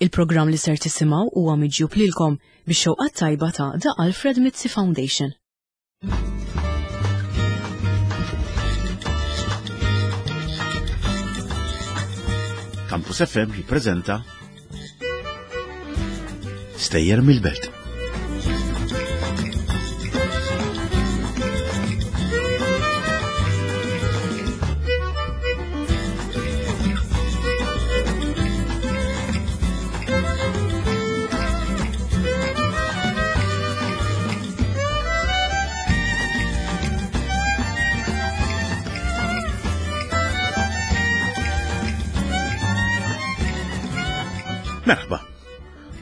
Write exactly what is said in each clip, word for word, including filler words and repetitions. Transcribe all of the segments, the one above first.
Il-programm li ser tisimgħu huwa miġjub lilkom bix-xewqat tajba ta' The Alfred Mizzi Foundation. Campus F M jippreżenta Stejjer mill-Belt. Merħba.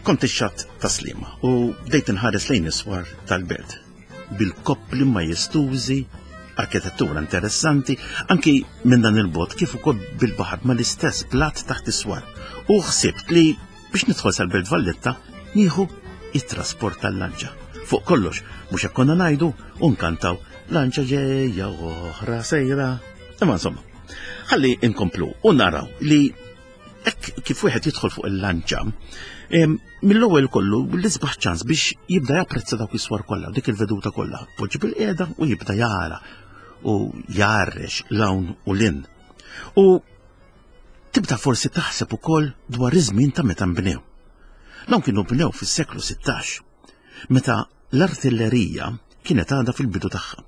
Kont ix-xatt ta' Sliema u bdejt inħares lejn is-swar tal-belt bil-koppli majestużi, arkitettura interessanti, anki minn dan il-bot kif ukoll bil-baħar ma l-istess plat taħt is-swar. U ħsibt li biex nidħol sal-Belt Valletta nieħu it-trasport tal-lanċa. Fuq kollox, mhux hekk konna ngħidu u nkantaw "lanċa ġejja oħra sejra". Imma insomma, ħalli inkomplu u naraw li hekk kif wieħed jidħol fuq il-lanċa, mill-ewwel kollu l-isbaħ ċans biex jibda japprezza dawk is-swar kollha, dik il-veduta kollha. Poġġi bil-qiegħda u jibda jara u jarrex l-hawn u lin. U tibda forsi taħseb ukoll dwar iż-żmien ta' meta nbnew. Dawn kienu bnew fis-seklu sittax, meta l-artillerija kienet għadha fil-bidu tagħha.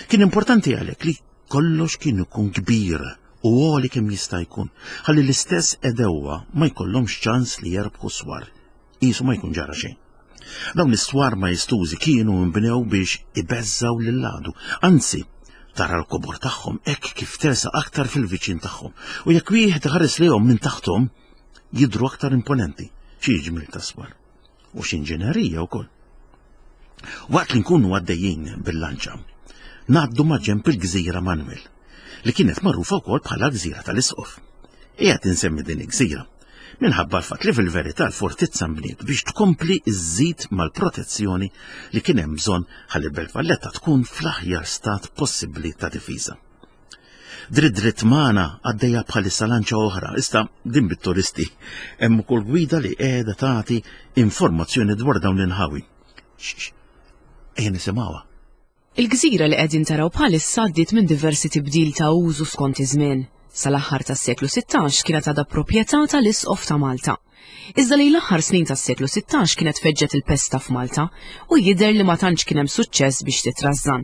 Kien importanti għalhekk li kollox kien ikun kbir u għoli kemm jista' jkun, ħalli l-istess edewwa ma jkollhomx ċans li jerbħu swar, qisu ma jkun ġara xejn. Dawn is-swar majestużi kienu nbnew biex ibeżżaw lil-għadu, anzi tara l-kobor tagħhom hekk kif tersa aktar fil-viċin tagħhom, u jekk wieħed iħares lejhom minn taħthom jidhru aktar imponenti, xi ġmiel ta' swar u x'inġinerija wkoll. Waqt li nkunu għaddejjin bil-lanċa, ngħaddu ma' ġenb il-Gżira Manuel, li kienet magħrufa wkoll bħala Gżira tal-Isqof. Qiegħed insemmi din il-gżira minħabba l-fatt li fil-verità l-fortizza nbniet biex tkompli żżid mal-protezzjoni li kien hemm bżonn ħalli Belt Valletta tkun fl-aħjar stat possibbli ta' difiża. Dritt dritt magħna għaddejja bħalissa lanċa oħra, issa din bit-turisti, hemm ukoll gwida li qiegħda tagħti informazzjoni dwar dawn l-inħawi. Ejja nisimgħuha. Il-gżira li qegħdin taraw bħalissa għaddiet minn diversi tibdil ta' użu skont iż-żmien. Sal-aħħar tas-seklu sittax kienet għadha proprjetà tal-Isqof ta' Malta. Iżda lejn l-aħħar snin tas-seklu sittax kienet feġġet il-pesta f'Malta u jidher li ma tantx kien hemm suċċess biex titrażżan.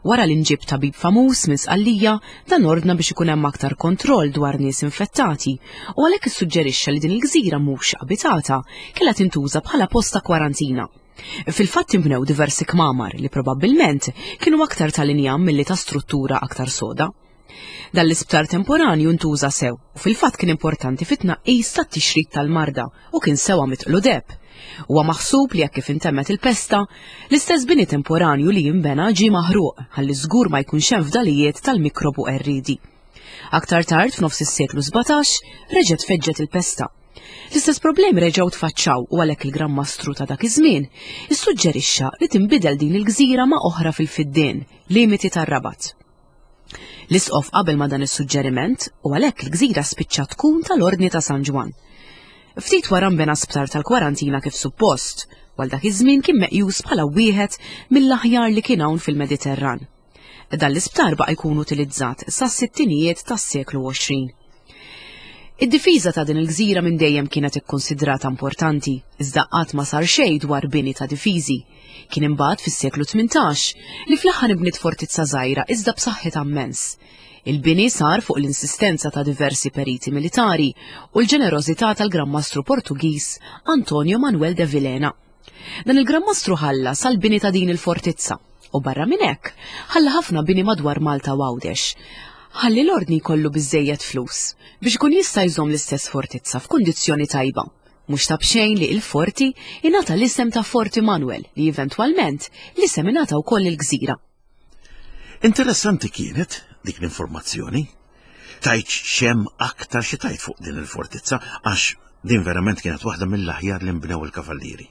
Wara li nġib tabib famuż minn Sqallija, dan ordna biex ikun hemm aktar kontroll dwar nies infettati u għalhekk issuġġerixxa li din il-gżira mhux abitata kellha tintuża bħala post ta' kwarantina. Fil-fatt inbnew diversi kmamar li probabbilment kienu aktar tal-injam milli ta' struttura aktar soda. Dan l-isptar temporanju ntuża sew u fil-fatt kien importanti fit-tnaqqis tat-tixrid tal-marda u kien sewa mitqlu deb. Huwa maħsub li jekk kif intemmet il-pesta, l-istess bini temporanju li jinbena ġie maħruq ħalli żgur ma jkunx hemm fdalijiet tal-mikrobu qerriedi. Aktar tard f'nofs is-seklu sbatax reġgħet feġġet il-pesta. L-istess problemi reġgħu tfaċċaw u għalhekk il-Gran Mastru ta' dak iż-żmien issuġġerixxa li tinbidel din il-gżira ma' oħra fil-Fiddien, limiti tar-Rabat. L-Isqof qabel ma' dan is-suġġeriment u għalhekk il-gżira spiċċa tkun tal-Ordni ta' San Ġwann. Ftit wara nbena sptar tal-kwarantina kif suppost, u għal dak iż-żmien kien meqjus bħala wieħed mill-aħjar li kien hawn fil-Mediterran. Dan l-isptar baqa' jkun utilizzat sas-sittinijiet tas-seklu għoxrin. Id-difiża ta' din il-gżira minn dejjem kienet ikkonsidrata importanti, iżda qatt ma sar xejn dwar bini ta' difiżi. Kien imbagħad fis-seklu tmintax li fl-aħħar inbniet fortizza żgħira iżda b'saħħitha immens. Il-bini sar fuq l-insistenza ta' diversi periti militari u l-ġenerożità tal-Gran Mastru Portugiż Antonio Manuel de Vilhena. Dan il-Gran Mastru ħalla sal-bini ta' din il-fortizza u barra minn hekk ħalla ħafna bini madwar Malta u Għawdex. Ħalli l-ordni jkollu biżżejjed flus biex ikun jista' jżomm l-istess fortizza f'kundizzjoni tajba. Mhux ta' b'xejn li il-forti ingħata l-isem ta' Forti Manuel li eventwalment l-isem ingħata wkoll il-gżira. Interessanti kienet dik l-informazzjoni. Tajt xem aktar xi tajt fuq din il-fortizza għax din verament kienet waħda mill-aħjar li nbnew il-kavallieri.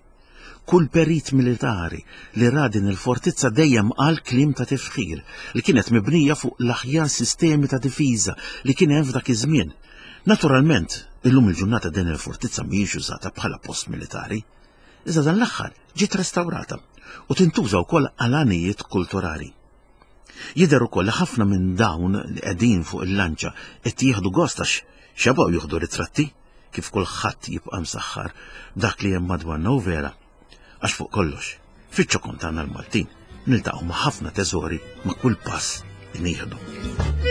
Kull perit militari li ra din il-fortizza dejjem qal kliem ta' tifħir li kienet mibnija fuq l-aħjar sistemi ta' difiża li kien hemm f'dak iż-żmien. Naturalment, Illum il-ġurnata din il-fortizza mhijiex użata bħala post militari, iżda dan l-aħħar ġiet restawrata u tintuża wkoll għal għanijiet kulturali. Jidher ukoll li ħafna minn dawn li qegħdin fuq il-lanċa qed jieħdu gost għax xebgħu jieħdu ritratti kif kulħadd jibqa' msaħħar dak li hemm madwarna u vera. Għax fuq kollox, fiċ-ċokon tagħna l-Maltin niltaqgħu ma' ħafna teżori ma' kull pass li nieħdu.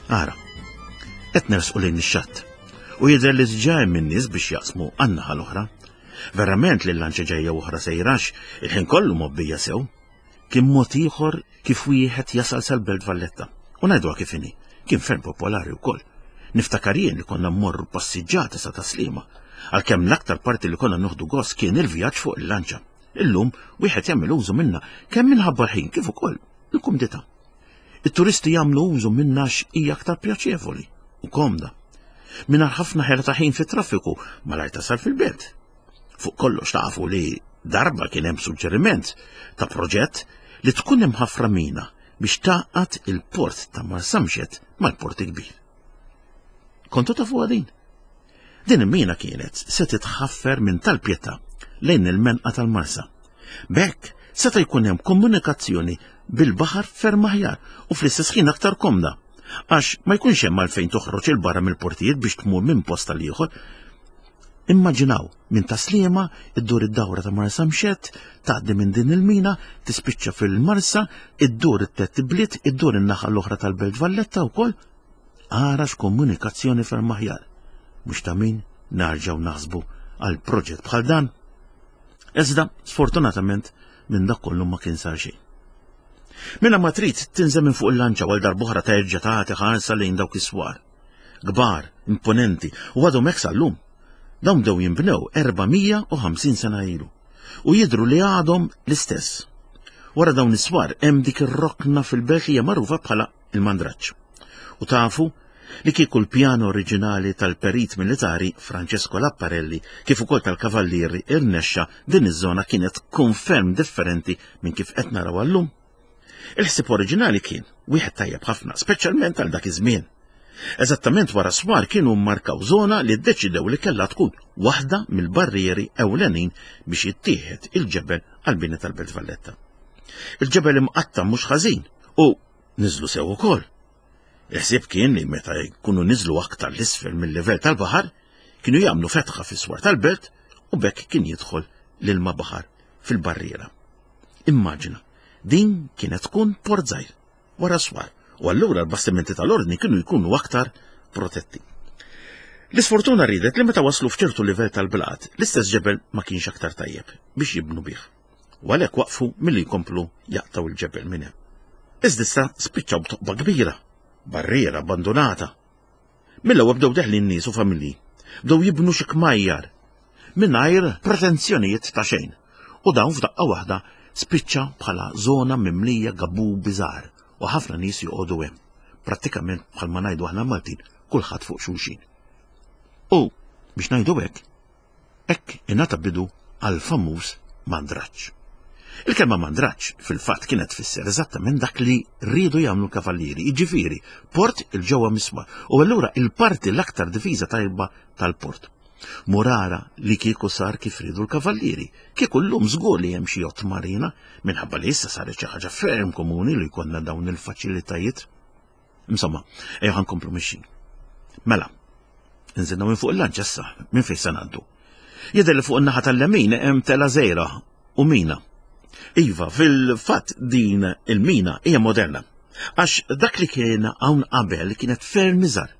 Ara, qed nersqu lejn ix-xatt u jidher li diġà hemm in-nies biex jaqsmu għan-naħa l-oħra. Verament li l-lanċa ġejja oħra sejrax il-ħin kollu mobbija sew. Kien mod ieħor kif wieħed jasal sal-Belt Valletta. U ngħiduha kif inhi, kien ferm popolari wkoll. Niftakar jien li konna mmorru passiġġati sa Taslima, għalkemm l-aktar parti li konna nieħdu gost kien il-vjaġġ fuq il-lanċa. Illum wieħed jagħmel użu minnha kemm minħabba l-ħin kif ukoll il-kumdità. It-turisti jagħmlu użu minnha hija aktar pjaċevoli u komda. Mingħajr ħafna ħela ta' ħin fit-traffiku malajr tasal fil-belt. Fuq kollox tafu li darba kien hemm suġġeriment ta' proġett li tkun hemm ħafra mina biex tgħaqqad il-port ta' Marsamxett mal-port kbir. Kontu tafu din? Din il-mina kienet se titħaffer minn tal-Pietà lejn il-menqa tal-Marsa. B'hekk seta' jkun hemm komunikazzjoni bil-baħar ferm aħjar u fl-istess ħin aktar komda, għax ma jkunx hemm għalfejn toħroġ il-barra mill-portijiet biex tmur minn post għal ieħor. Immaġinaw minn Taslima iddur id-dawra ta' Marsamxett, tgħaddi minn din il-mina, tispiċċa fil-Marsa, iddur it-tliet ibliet, iddur in-naħa l-oħra tal-Belt Valletta wkoll. Ara x'komunikazzjoni ferm aħjar. Mhux ta' min narġgħu naħsbu għal proġett bħal dan. Iżda, sfortunatament, minn dak kollu ma kien sar xejn. Minna ma trid tinżel minn fuq il-lanċa għal darb'oħra terġa' tagħti ħarsa lejn dawk is-swar. Kbar, imponenti, u għadhom hekk sal-lum. Dawn bdew jinbnew erba' mija u ħamsin sena ilu u jidhru li għadhom l-istess. Wara dawn is-swar hemm dik ir-rokna fil-belt li hija magħrufa bħala il-Mandraġġ. U tafu li kieku l-pjan oriġinali tal-perit militari Francesco Laparelli kif ukoll tal-kavallieri irnexxa, din iż-żona kienet tkun ferm differenti minn kif qed naraw llum. Il-ħsieb oriġinali kien wieħed tajjeb ħafna, speċjalment għal dak iż-żmien. Eżattament wara swar kienu mmarkaw żona li ddeċidew li kellha tkun waħda mill-barrieri ewlenin biex jittieħed il-ġebel għall-bini tal-Belt Valletta. Il-ġebel imqatta' mhux ħażin u niżlu sew ukoll. Il-ħsieb kien li meta jkunu niżlu aktar l-isfel mill-livell tal-baħar, kienu jagħmlu fetħa fis-swar tal-belt u bekk kien jidħol l-ilma baħar fil-barriera. Immaġina, din kienet tkun port żgħir wara swar, u allura l-bastimenti tal-ordni kienu jkunu aktar protetti. L-isfortuna ridet li meta waslu f'ċertu livell tal-blat, l-istess ġebel ma kienx aktar tajjeb biex jibnu bih. U għalhekk waqfu milli jkomplu jaqtaw il-ġebel minn hemm. Iżda issa spiċċaw b'toqba kbira, barriera abbandonata. Mill-ewwel bdew deħlin nies u familji, bdew jibnu xi kmajjar mingħajr pretenzjonijiet ta' xejn. U dawn f'daqqa waħda spiċċa bħala żona mimlija gabu biżgħar u ħafna nies joqogħdu hemm. Prattikament bħalma ngħidu aħna Maltin, kulħadd fuq xulxin. U biex ngħidu hekk, hekk ingħata bidu għal famuż Mandraġġ. Il-kelma mandraġġ fil-fatt kienet tfisser eżattament dak li riedu jagħmlu l-kavallieri, jiġifieri port il-ġewwa miswar u allura il-parti l-aktar difiża tajba tal-port. Murara li kieku sar kif riedu l-kavallieri, kieku llum żgur li hemm xi jott marina minħabba li issa saret xi ħaġa ferm komuni li jkollna dawn il-faċilitajiet. Insomma, ejja ħa nkomplu mixjin. Mela, inżilna minn fuq il-lanċ issa, minn fejn se ngħaddu. Jidher li fuq in-naħa tal-lemin hemm tela żgħira u mina. Iva, fil-fatt din il-mina hija moderna. Għax dak li kien hawn qabel kienet ferm iżgħar.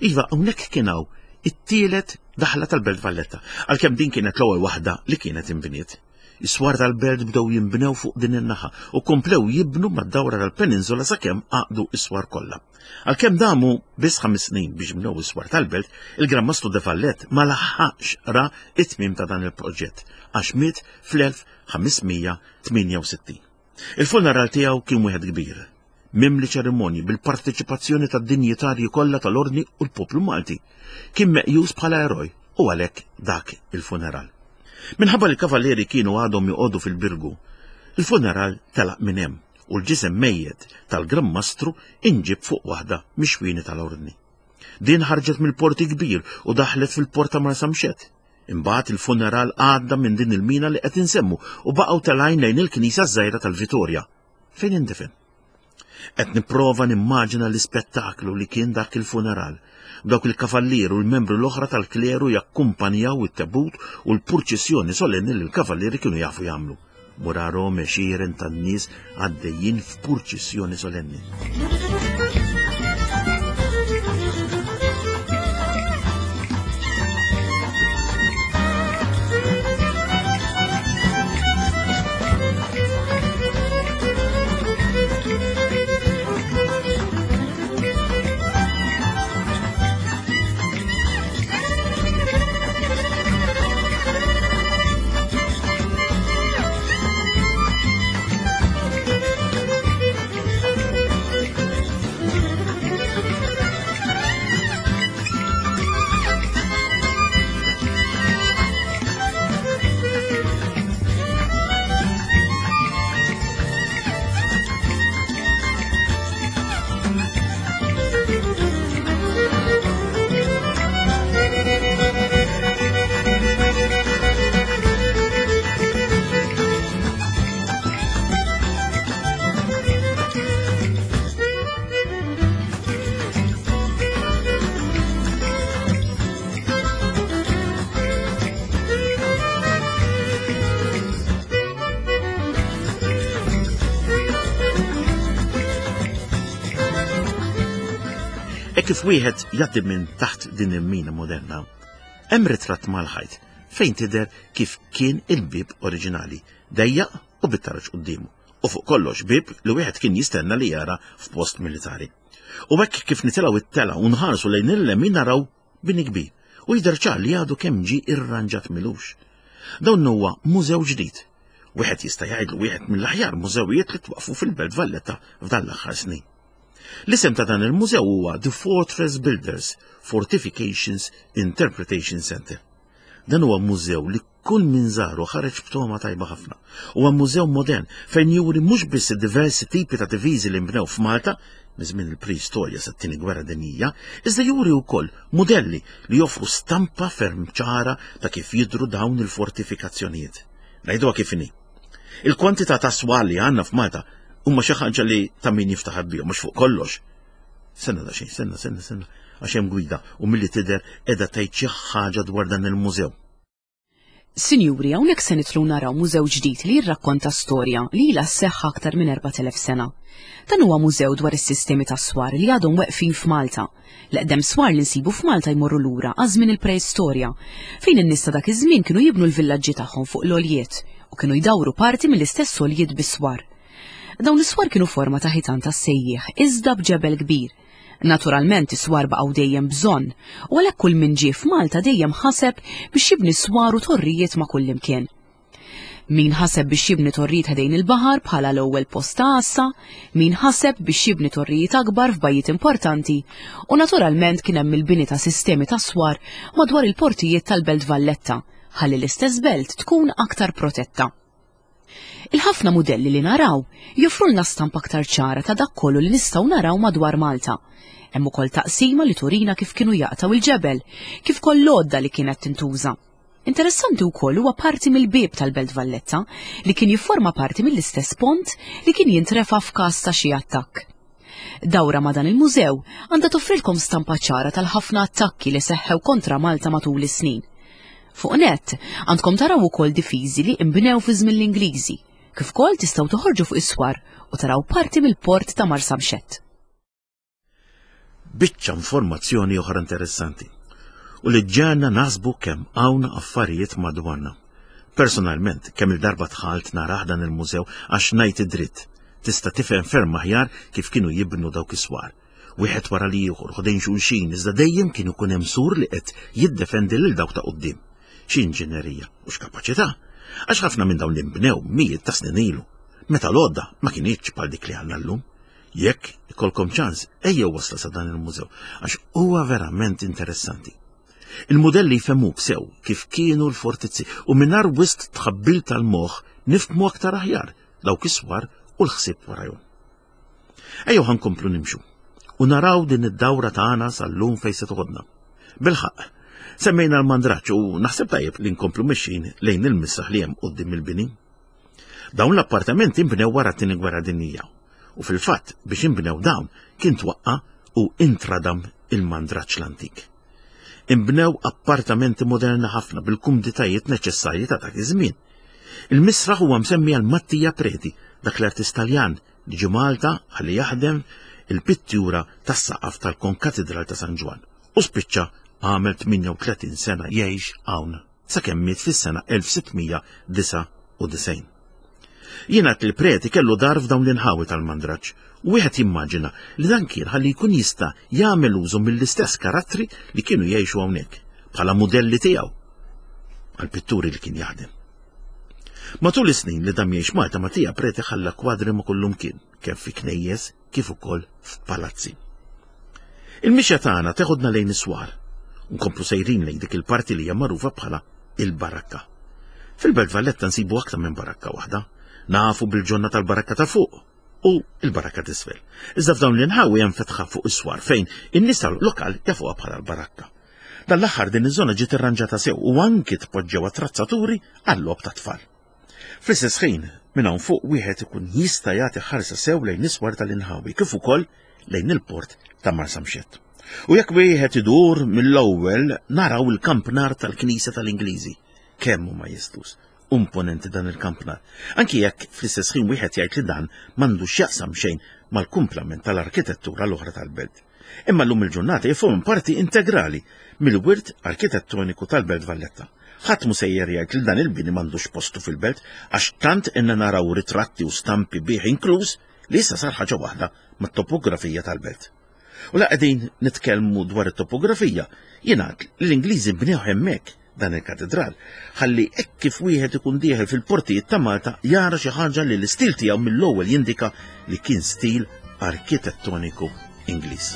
Iva, hawnhekk kien hawn it-tielet daħla tal-Belt Valletta, għalkemm din kienet l-ewwel waħda li kienet inbniet. Is-swar tal-belt bdew jinbnew fuq din in-naħa u komplew jibnu mad-dawra tal-peninsula sakemm għaqdu is-swar kollha. Għalkemm damu biss ħames snin biex bnew is-swar tal-belt, il-Gran Mastru de Valette ma laħaqx ra it-tmiem ta' dan il-proġett għax miet fl-elf ħames mija tmienja u sittin. Il-funeral tiegħu kien wieħed kbir, mimli ċerimonji bil-parteċipazzjoni tad-dinjitarji kollha tal-Ordni u l-poplu Malti. Kien meqjus bħala eroj u għalhekk dak il-funeral. Minħabba li l-kavallieri kienu għadhom joqogħdu fil-Birgu, il-funeral telaq minn hemm u l-ġisem mejjet tal-Gran Mastru inġib fuq waħda mix-xwieni tal-Ordni. Din ħarġet mill-porti kbir u daħlet fil-port ta' Marsamxett. Imbagħad il-funeral għadda minn din il-mina li qed insemmu u baqgħu telgħin lejn il-knisja żgħira tal-Vitorja, fejn indifen. Qed nipprova nimmaġina l-ispettaklu li kien dak il-funeral. Dawk il-kavallier u l-membru l-oħra tal-kleru jakkumpanjaw it-tebut u l-purċissjoni solenni li l-kavallieri kienu jafu jagħmlu. Murarom għexieren tan-nies għaddejjin f'purċissjoni solenni. E kif wieħed jgħaddi minn taħt din il-mina moderna, hemm ritratt mal-ħajt fejn tidher kif kien il-bib oriġinali, dejjaq u bit-taraġ quddiemu, u fuq kollox bib li wieħed kien jistenna li jara f'post militari. U hekk kif nitilgħu it-tela u nħarsu lejn il-lemin naraw bini kbir u jidher ċar li għadu kemm ġie irranġat milux. Dawn huwa mużew ġdid. Wieħed jista' jgħidlu wieħed mill-aħjar mużewijiet li twaqfu fil-Belt Valletta f'dan l-aħħar snin. L-isem ta' dan il-mużew huwa The Fortress Builders Fortifications Interpretation Center. Dan huwa mużew li kull min żaru ħareġ b'toma tajba ħafna. Huwa mużew modern fejn juri mhux biss diversi tipi ta' diviżi li nbnew f'Malta minn żmien il-preistorja sat-tieni gwerra dinjija, iżda juri wkoll mudelli li joffru stampa ferm ċara ta' kif jidhru dawn il-fortifikazzjonijiet. Ngħiduha kif inhi. Il-kwantità ta' swar li għandna f'Malta huma xi ħaġa li ta' min jiftaħar bihom, mhux fuq kollox. Senna da xejn, senna, senna, senna, għax hemm gwida u milli tidher qiegħda tgħid xi ħaġa dwar dan il-mużew. Sinjuri, hawnhekk se nidħlu naraw mużew ġdid li jirrakkonta storja li ilha sseħħ aktar minn erbat elef sena. Dan huwa mużew dwar is-sistemi tas-swar li għadhom weqfin f'Malta. L-eqdem swar li nsibu f'Malta jmorru lura għal żmien il-preistorja, fejn in-nies ta' dak iż-żmien kienu jibnu l-villaġġi tagħhom fuq l-għoljiet u kienu jdawru parti mill-istess għoljiet bis-swar. Dawn is-swar kienu forma ta' ħitan tas-sejjieħ iżda b'ġebel kbir. Naturalment is-swar baqgħu dejjem bżonn, u għalhekk kull min ġie f'Malta dejjem ħaseb biex jibni swar u torrijiet ma' kullimkien. Min ħaseb biex jibni torrijiet ħdejn il-baħar bħala l-ewwel post ta' għassa, min ħaseb biex jibni torrijiet akbar f'bajjiet importanti, u naturalment kien hemm il-bini ta' sistemi ta' swar madwar il-portijiet tal-Belt Valletta, ħalli l-istess belt tkun aktar protetta. Il-ħafna mudelli li naraw joffrulna stampa aktar ċara ta' dak kollu li nistgħu naraw madwar Malta. Hemm ukoll taqsima li turina kif kienu jaqtgħu il-ġebel, kif ukoll l-għodda li kienet tintuża. Interessanti wkoll huwa parti mill-bieb tal-Belt Valletta li kien jifforma parti mill-istess pont li kien jintrefa' f'każ ta' xi attakk. Dawra ma' dan il-mużew għandha toffrilkom stampa ċara tal-ħafna attakki li seħħew kontra Malta matul is-snin. Fuq nett għandkom taraw ukoll difiżi li inbnew fi żmien l-Ingliżi, kif ukoll tistgħu toħorġu fuq is-swar u taraw parti mill-port ta' Marsamxett. Biċċa informazzjoni oħra interessanti u li ġġagħalna naħsbu kemm hawn affarijiet madwarna. Personalment, kemm il-darba dħalt narah dan il-mużew għax ngħid id-dritt, tista' tifhem ferm aħjar kif kienu jibnu dawk is-swar. Wieħed wara l-ieħor, ħdejn xulxin, iżda dejjem kien ikun hemm sur li qed jiddefendi lil dawk ta' quddiem. X'inġinerija u x'kapaċità! Għax ħafna minn dawn li nbnew mijiet ta' snin ilu, meta l-għodda ma kinitx bħal dik li għandna llum. Jekk ikolkom ċans, ejjew wasla sa dan il-mużew, għax huwa verament interessanti. Il-modelli jfehmuk sew kif kienu l-fortizzi u mingħajr wisq tħabbil tal-moħħ nifhmu aktar aħjar dawk is-swar u l-ħsieb warajhom. Ejjew ħa nkomplu nimxu u naraw din id-dawra tagħna sal-lum fejn se toħodna. Bilħaqq, semmejna l-mandraġġ u naħseb tajjeb li nkomplu mexjin lejn il-misraħ li hemm quddiem il-bini. Dawn l-appartamenti nbnew wara t-tieni gwerra dinjija u fil-fatt biex inbnew dawn kien twaqqa u intradam il-mandraġġ l-antik. Inbnew appartamenti moderni ħafna bil-kumditajiet neċessarji ta' dak iż-żmien. Il-misraħ huwa msemmi għal Mattia Preti, dak l-artist Taljan li ġie Malta ħalli jaħdem il-pittura tas-saqaf tal-Konkatedral ta' San Ġwann u spiċċa għamel tmienja u tletin sena jgħix hawn sakemm miet fis-sena elf sittmija disgħa u disgħin. Jingħad li l-Preti kellu dar f'dawn l-inħawi tal-mandraġġ u wieħed jimmaġina li dan kien ħalli jkun jista' jagħmel użu mill-istess karattri li kienu jgħixu hawnhekk bħala mudelli tiegħu għall-pitturi li kien jaħdem. Matul is-snin li dam jgħix Malta, Mattia Preti ħalla kwadri ma' kullumkien, kemm fi knejjes kif ukoll f'palazzi. Il-mixja tagħna teħodna lejn is-swar u nkomplu sejrin lejn dik il-parti li hija magħrufa bħala il-barakka. Fil-Belt Valletta nsibu aktar minn barakka waħda, nafu bil-ġonna tal-barakka ta' fuq u il-barakka t'isfel. Iżda f'dawn l-inħawi hemm fetħa fuq is-swar fejn in-nies tal-lokal jafuha bħala l-barakka. Dan l-aħħar din iż-żona ġiet irranġata sew u anki tpoġġew attrazzaturi għall-logħob tat-tfal. Fl-istess ħin, minn hawn fuq wieħed ikun jista' jagħti ħarsa sew lejn is-swar tal-inħawi kif ukoll lejn il-port ta' Marsamxett. U jekk wieħed idur mill-ewwel naraw il-kampnar tal-Knisja tal-Ingliżi. Kemm huma majestuż, imponenti dan il-kampnar. Anki jekk fl-istess ħin wieħed jgħid li dan m'għandux x'jaqsam xejn mal-kumplament tal-arkitettura l-oħra tal-belt. Imma llum il-ġurnata jifhom parti integrali mill-wirt arkitettoniku tal-Belt Valletta. Ħadd mhu sejjer jgħid li dan il-bini m'għandux postu fil-belt għax tant inna naraw ritratti u stampi bih inkluż li issa sar ħaġa waħda mat-topografija tal-belt. U la qegħdin nitkellmu dwar it-topografija, jingħad li l-Ingliżi bnew hemmhekk dan il-katedral, ħalli hekk kif wieħed ikun dieħel fil-portijiet ta' Malta jara xi ħaġa li l-istil tiegħu mill-ewwel jindika li kien stil arkitettoniku Ingliż.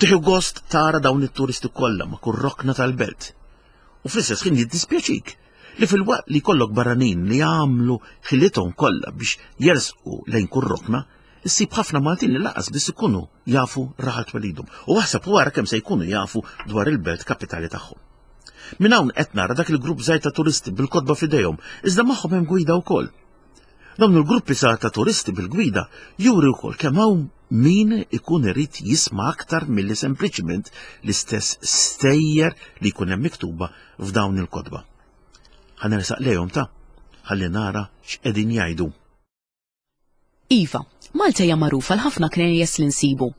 Tieħu gost tara dawn it-turisti kollha ma' kull rokna tal-belt. U fl-istess ħin jiddispjaċik li filwaqt li jkollok barranin li jagħmlu ħilithom kollha biex jersqu lejn kull rokna, issib ħafna Maltin li lanqas biss ikunu jafu raħal twelidhom u aħseb wara kemm se jkunu jafu dwar il-belt kapitali tagħhom. Minn hawn qed nara dak il-grupp żgħir ta' turisti bil-kotba f'idejhom, iżda magħhom hemm gwida wkoll. Dawn il-gruppi sa ta' turisti bil-gwida juri wkoll kemm hawn min ikun irid jisma' aktar milli sempliċiment l-istess stejjer li jkun hemm miktuba f'dawn il-kotba. Ħa nersaq lejhom ta' ħalli nara x'qegħdin jgħidu. Iva, Malta hija magħrufa għal ħafna knejjes li nsibu.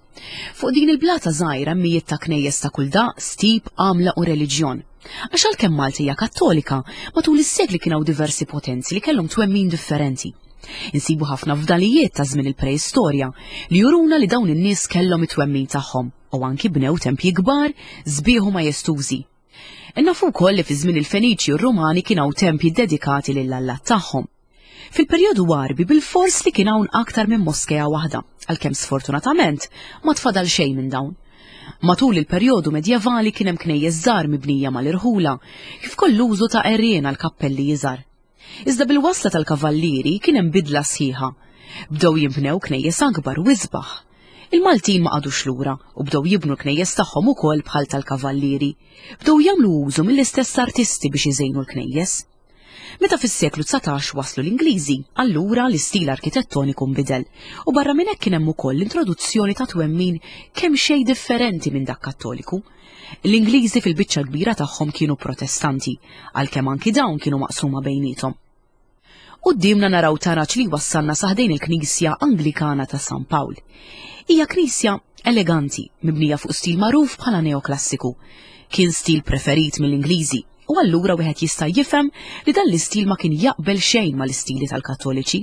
Fuq din il-blata żgħira mijiet ta' knejjes ta' kull daqs, tip, għamla u reliġjon. Għax għalkemm Malta hija Kattolika, matul is-sekli kien hawn diversi potenzi li kellhom twemmin differenti. Insibu ħafna fdalijiet ta' żmien il-preistorja li juruna li dawn in-nies kellhom it-twemmin tagħhom u anki bnew tempji kbar sbieħ u majestużi. Nafu wkoll li fi żmien il-Feniċi u r-Rumani kien hawn tempji dedikati lill-allat tagħhom. Fil-perjodu Għarbi bil-fors li kien hawn aktar minn moskea waħda, għalkemm sfortunatament ma tfadal xejn minn dawn. Matul il-perjodu medjevali kien hemm knejjes żgħar mibnija mal-irħula, kif ukoll l-użu ta' għerien għal kappelli iżgħar. Iżda bil-wasla tal-kavallieri kien hemm bidla sħiħa. Bdew jinbnew knejjes akbar u isbaħ. Il-Maltin ma qagħdux lura u bdew jibnu l-knejjes tagħhom ukoll bħal tal-kavallieri. Bdew jagħmlu użu mill-istess artisti biex iżejnu l-knejjes. Meta fis-seklu dsatax waslu l-Ingliżi, allura l-istil arkitettoniku nbidel u barra minn hekk kien hemm ukoll l-introduzzjoni ta' twemmin kemm xejn differenti minn dak Kattoliku. L-Ingliżi fil-biċċa kbira tagħhom kienu Protestanti, għalkemm anki dawn kienu maqsuma bejniethom. Quddiemna naraw taraġ li wassalna sa ħdejn il-Knisja Anglikana ta' San Pawl. Hija knisja eleganti, mibnija fuq stil magħruf bħala neoklassiku. Kien stil preferit mill-Ingliżi u allura wieħed jista' jifhem li dan l-istil ma kien jaqbel xejn mal-istili tal-Kattoliċi.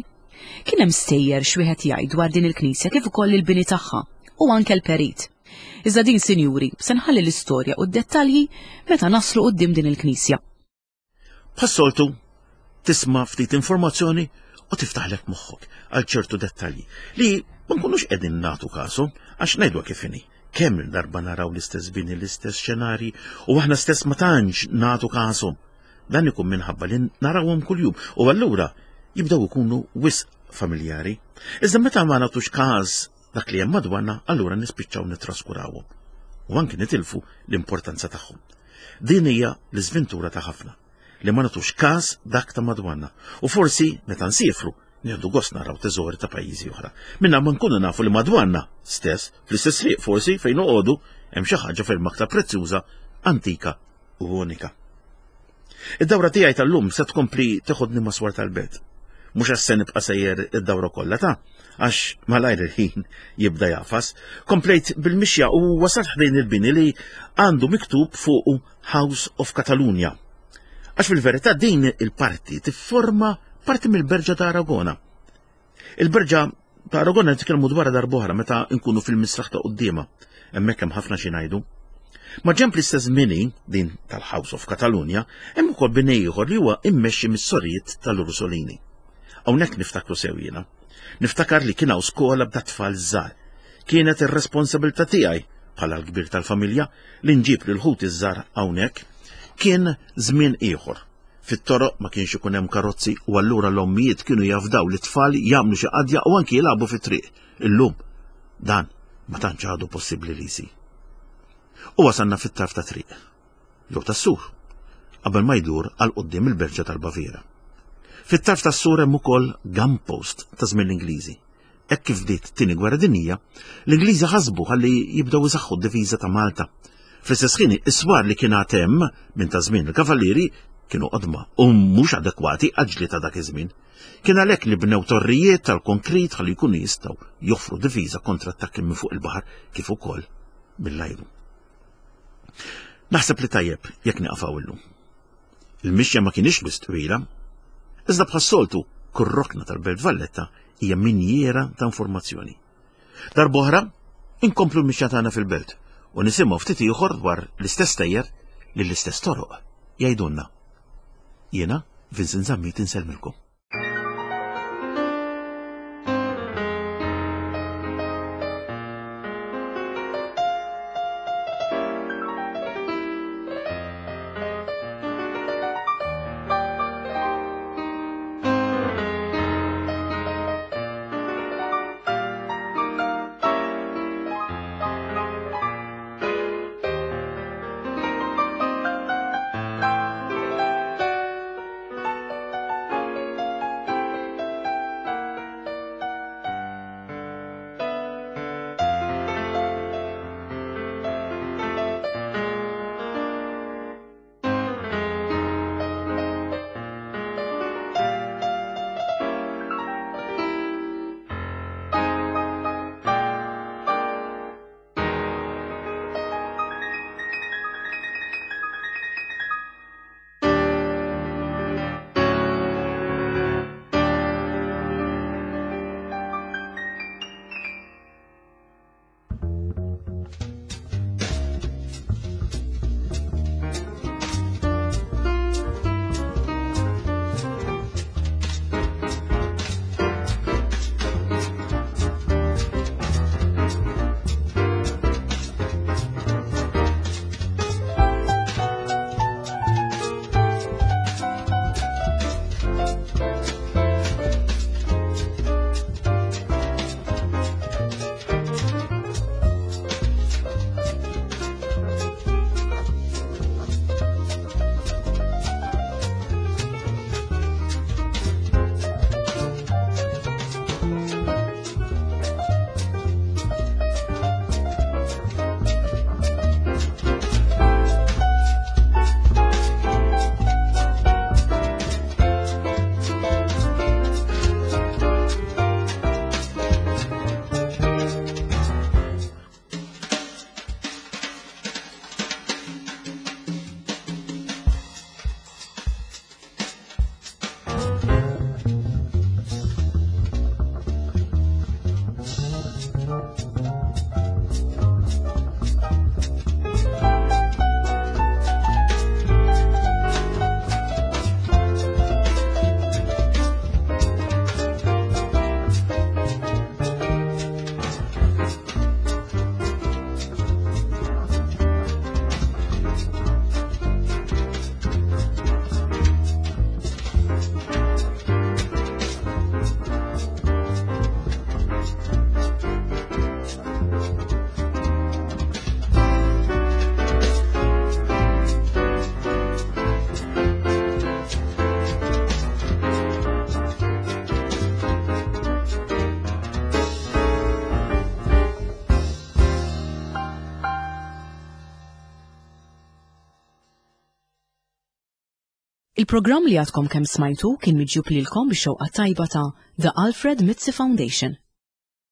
Kien hemm stejjer x'wieħed jgħid dwar din il-knisja kif ukoll il-bini tagħha u anke l-perit. Iżda din, sinjuri, se nħalli l-istorja u d-dettalji meta naslu quddiem din il-knisja. Bħas-soltu, tisma' ftit informazzjoni u tiftaħlek moħħok għal ċertu dettalji li ma nkunux qegħdin nagħtu kasu għax ngħidwa kif inhi. Kemm darba naraw l-istess bini, l-istess xenarji u aħna stess ma tantx nagħtu kasu. Dan ikun minħabba li narawhom kuljum u allura jibdew ikunu wisq familjari. Iżda meta ma nagħtux każ dak li hemm madwarna, allura nispiċċaw nitraskurawhom u anki nitilfu l-importanza tagħhom. Din hija l-iżventura ta' ħafna li ma nagħtux każ dak ta' madwarna u forsi meta nsifru nieħdu gost naraw teżori ta' pajjiżi oħra. Minna ma nkunu nafu li madwarna stess, fl-istess triq forsi fejn noqogħdu hemm xi ħaġa ferm aktar prezzjuża, antika u unika. Id-dawra tiegħi tal-lum se tkompli teħodni ma' swar tal-belt. Mhux għax se nibqa' sejjer id-dawra kollha ta' għax malajr il-ħin jibda jafas. Komplejt bil-mixja u wasalt ħdejn il-bini li għandu miktub fuqu House of Catalonia. Għax fil-verità din il-parti tifforma parti mill-Berġa ta' Aragona. Il-Berġa ta' Aragona nitkellmu dwarha darb'oħra meta nkunu fil-misraħ ta' quddiemha. Hemmhekk hemm ħafna xi ngħidu. Ma' ġenb l-istess bini, din tal-House of Catalonia, hemm ukoll bini ieħor li huwa immexxi mis-sorijiet tal-Ursolini. Hawnhekk niftakru sew jiena. Niftakar li kien hawn skola b'da tfal żgħar. Kienet ir-responsabilità tiegħi bħala l-kbir tal-familja li nġib lil ħuti żgħar hawnhekk. Kien żmien ieħor. Fit-toroq ma kienx ikun hemm karozzi u allura l-ommijiet kienu jafdaw li tfal jagħmlu xi qadja u anki jilagħbu fit-triq. Illum dan ma tantx għadu possibbli li jsir. U wasalna fit-tarf ta' triq, jew tas-sur, qabel ma jdur għal quddiem il-Berġa tal-Baviera. Fit-tarf tas-sur hemm ukoll gunpost ta' żmien l-Ingliżi. Hekk kif bdiet tieni gwerra dinjija, l-Ingliżi ħasbu ħalli jibdew isaħħu d-difiża ta' Malta. Fl-istess ħin is-swar li kien għad hemm minn ta' żmien il-Kavallieri kienu qodma u mhux adekwati għall-ġlied ta' dak iż-żmien. Kien għalhekk li bnew torrijiet tal-konkrit ħalli jkunu jistgħu joffru difiża kontra attakki minn fuq il-baħar kif ukoll mill-ajru. Naħseb li tajjeb jekk nieqaf illum. Il-mixja ma kienx wisq twila, iżda bħas-soltu kull rokna tal-Belt Valletta hija minjiera ta' informazzjoni. Darb'oħra inkomplu l-mixja tagħna fil-belt u nisimgħu ftit ieħor dwar l-istess tejjer li l-istess toroq jgħidulna. Jiena Vincent Zammit insellmilkom. Il-programm li għadkom kemm smajtu kien miġjub lilkom bix-xewqa tajba ta' The Alfred Mizzi Foundation.